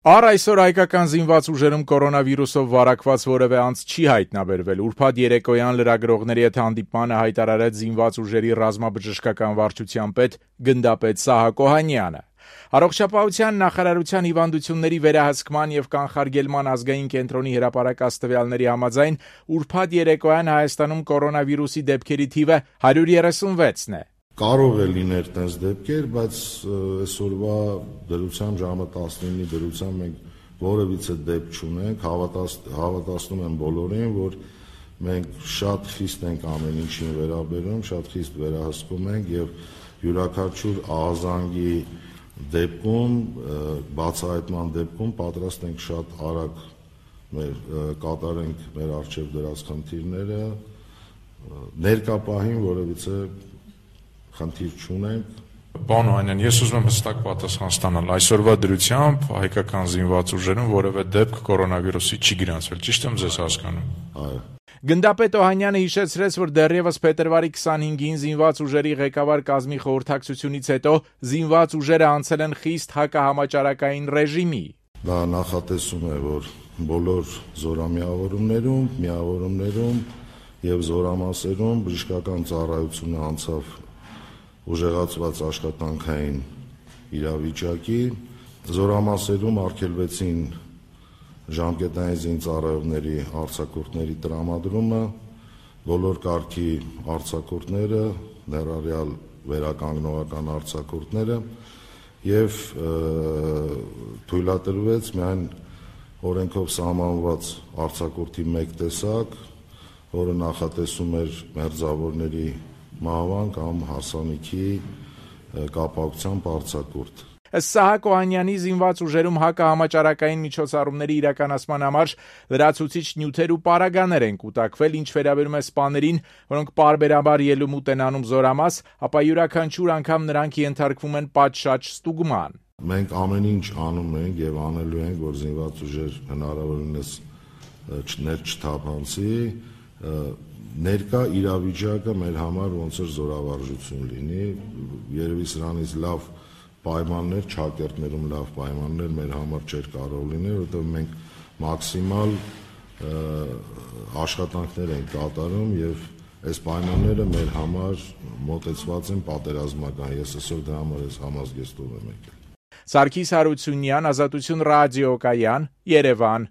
Առ այսօր հայկական զինված ուժերում կորոնավիրուսով վարակված որևէ անձ չի հայտնաբերվել։ Ուրբաթ երեկոյան լրագրողների հետ հանդիպմանը հայտարարեց զինված ուժերի ռազմաբժշկական վարչության պետ գնդապետ Սահակ Օհանյանը։ Առողջապահության նախարարության հիվանդությունների վերահսկման եւ կանխարգելման ազգային կենտրոնի հրապարակած տվյալների համաձայն ուրբաթ երեկոյան Հայաստանում կորոնավիրուսի դեպքերի թիվը 136-ն է։ Կարող է լինել տես դեպքեր, բայց այսօրվա դրությամբ ժամը 19-ի դրությամբ մենք որևիցե դեպք չունենք, հավատացնում եմ բոլորին, որ մենք շատ խիստ ենք ամեն ինչին վերաբերում, շատ խիստ վերահսկում ենք եւ յուրաքանչյուր ահազանգի դեպքում, բացահայտման դեպքում պատրաստ ենք շատ արագ կատարենք մեր առջև դրած խնդիրները, ներկա պահին որևիցե խնդիր չունենք։ Պարոն Օհանյան, ես ուզում եմ հստակ պատասխան ստանալ։ Այսօրվա դրությամբ հայկական զինված ուժերում որևէ դեպք կորոնավիրուսի չի գրանցվել, ճիշտ եմ ձեզ հասկանում։ Այո։ Գնդապետ Օհանյանը հիշեցրեց, որ դեռևս փետրվարի 25-ին զինված ուժերի ղեկավար կազմի խորհրդակցությունից հետո զինված ուժերը անցել են խիստ հակահամաճարակային ռեժիմի։ Դա նախատեսում է, որ բոլոր զորամիավորումներում եւ զորամասերում բժշկական ծառայությունը անցավ ուժեղացված աշխատանքային իրավիճակի, զորամասերում արգելվեցին ժամկետային զինծառայողների արձակուրդների տրամադրումը, բոլոր կարգի արձակուրդները, ներառյալ վերականգնողական արձակուրդները եւ թույլատրվեց միայն օրենքով սահմանված արձակուրդի մեկ տեսակ, որը նախատեսում էր մերձավորների մահվան կամ հարսանիքի կապակցությամբ արձակուրդ։ Ըստ Սահակ Օհանյանի զինված ուժերում հակահամաճարակային միջոցառումների իրականացման համար լրացուցիչ նյութեր ու պարագաներ են կուտակվել, ինչ վերաբերում է սպաներին, որոնք պարբերաբար ելումուտ են անում զորամաս, ապա յուրաքանչյուր անգամ նրանք ենթարկվում են պատշաճ ստուգման։ Մենք ամեն ինչ անում ենք եւ անելու ենք, որ զինված ուժեր հնարավորինս չթափանցի, ներկա իրավիճակը մեր համար ոնց որ զորավարժություն լինի, երևի սրանից լավ պայմաններ, ճակերտներում լավ պայմաններ մեր համար չէր կարող լինել, որովհետև մենք մաքսիմալ աշխատանքներ ենք կատարում եւ այս պայմանները մեր համար մոտեցված են պատերազմական։ Ես այսօր դրա համար ես համազգեստով եմ եկել։ Սարգիս Հարությունյան, Ազատություն ռադիոկայան, Երևան։